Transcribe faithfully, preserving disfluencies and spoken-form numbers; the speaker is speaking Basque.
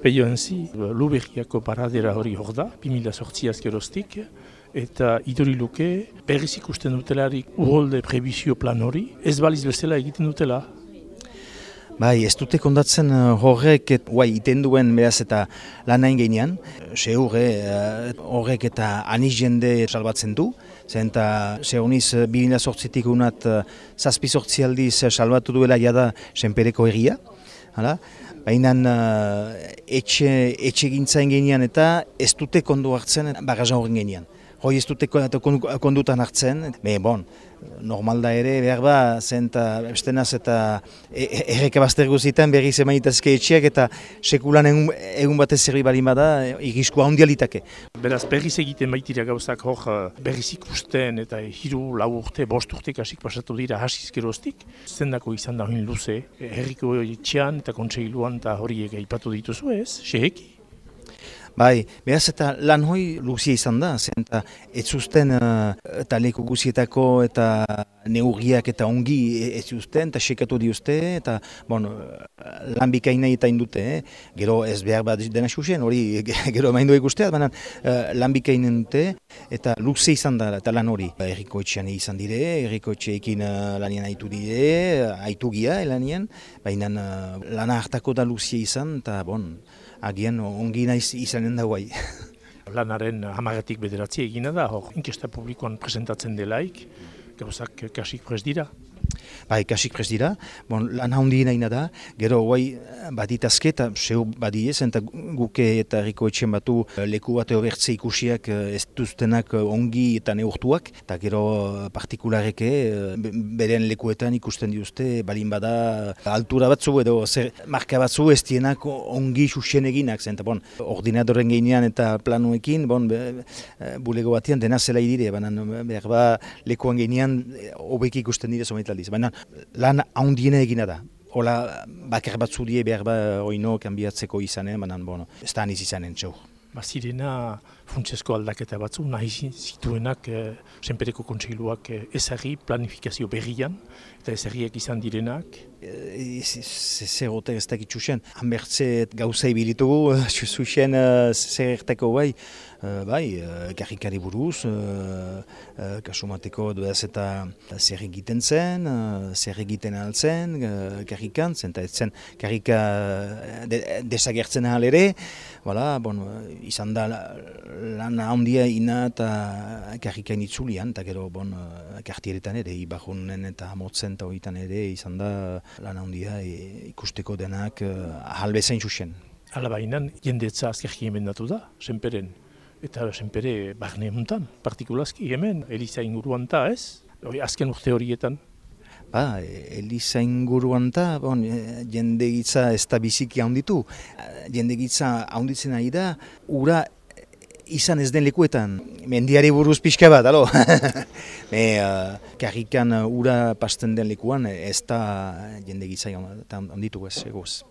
Peioenzi, Luberriako paradera hori hor da, bi mila zortzi azkeroztik, eta iduri luke berriz ikusten dutelarik uholde prebizio plan hori, ez baliz bezala egiten dutela. Bai, ez dute kondatzen horrek et, guai, iten duen beraz eta lan hain gainean. Seur, eh, horrek eta aniz jende salbatzen du. Zen eta seoniz bi mila zortzitik unat zazpi zortzi aldiz salbatu duela jada senpereko egia. Hala? Baina uh, etxe, etxe gintzain gainean eta ez dute kondu hartzen bagaza horren gainean. Hoi ez dute kondutan hartzen, me bon, normal da ere, behar ba, zen eta estenaz eta erreka bazter guzitan berri zemaitazke etxeak eta sekulan egun, egun batez zerri balin bada, irriskua handialitake. Beraz, berriz egiten baitira gauzak hor berriz ikusten eta hiru, lau urte, bost urte kasik pasatu dira hasiz geroztik. Zendako izan da hori luze, herriko etxean eta kontseiluan eta horiek aipatu dituzu ez, seheki? Bai, behaz eta lan hoi luzia izan da, zen eta ez zuzten uh, eta leku guzietako eta neurriak eta ongi ez zuzten eta sekatu diuzte eta bon, lan bikaina eta indute, eh? Gero ez behar bat dena xuxen, hori gero maindu ikusteat, baina uh, lan bikainen dute eta luzia izan da eta lan hori. Herriko etxean izan dire, herriko etxeekin uh, lanien haitu dire, haitu gia lanien, baina uh, lana hartako da luzia izan eta bon, agian ongi naiz izanen da guai. Lanaren hamagatik bederatzi egina da, hor inkesta publikoan presentatzen delaik, gauzak kasik prez dira. Bai, kasik prez dira, bon, lan handi nahi da, gero guai baditazke eta seur badiez, eta guke eta herriko etxen batu leku bat horretze ikusiak ez duztenak ongi eta neurtuak, eta gero partikulareke beren lekuetan ikusten diuzte, balin bada altura batzu edo zer marka batzu ez dienak ongi xuxen eginak, zen, eta bon, ordinadoren gainean eta planuekin, bon, bulego batean dena zela idire, baina behar ba lekuan gainean hobeki ikusten dire zometan. Baina lan handiena egina da. Hola, bakar batzu die behar ba oino kanbiatzeko izanen, baina bueno, ez da aniz izanen txau. Bazirena funtsesko aldaketa batzu nahi zituenak eh, senpereko kontseiluak eh, ezagri planifikazio berrian eta ezagriak izan direnak. Zer gote ez dakit txusen, hanbertze gauza ibilitugu, zuzen zer erteko bai, bai, karrikari buruz, kasumateko duaz eta zer egiten zen, zer egiten altzen, karrikan, zen eta ez zen karrika desagertzen ahal ere, voilà, bon, izan da lan handia ina eta karrikain itzulian, eta gero bon, kartieretan ere, ibajunen eta hamotzen eta horietan ere, izan da lan handia e, ikusteko denak ahal bezain zuzen. Hala bainan, jendetza azkerki emendatu da, senperen. Eta senpere barne hontan, partikulazki hemen, Eliza inguruan ta ez, azken urte horietan. Ba, Eliza inguruan ta, bon, jendegitza ez da biziki handitu. Jendegitza handitzen ari da, ura izan ez den lekuetan, mendiari buruz pixka bat, alo? Me, uh, karrikan ura pasten den lekuan ez da jendegitza handitu ez, egoz.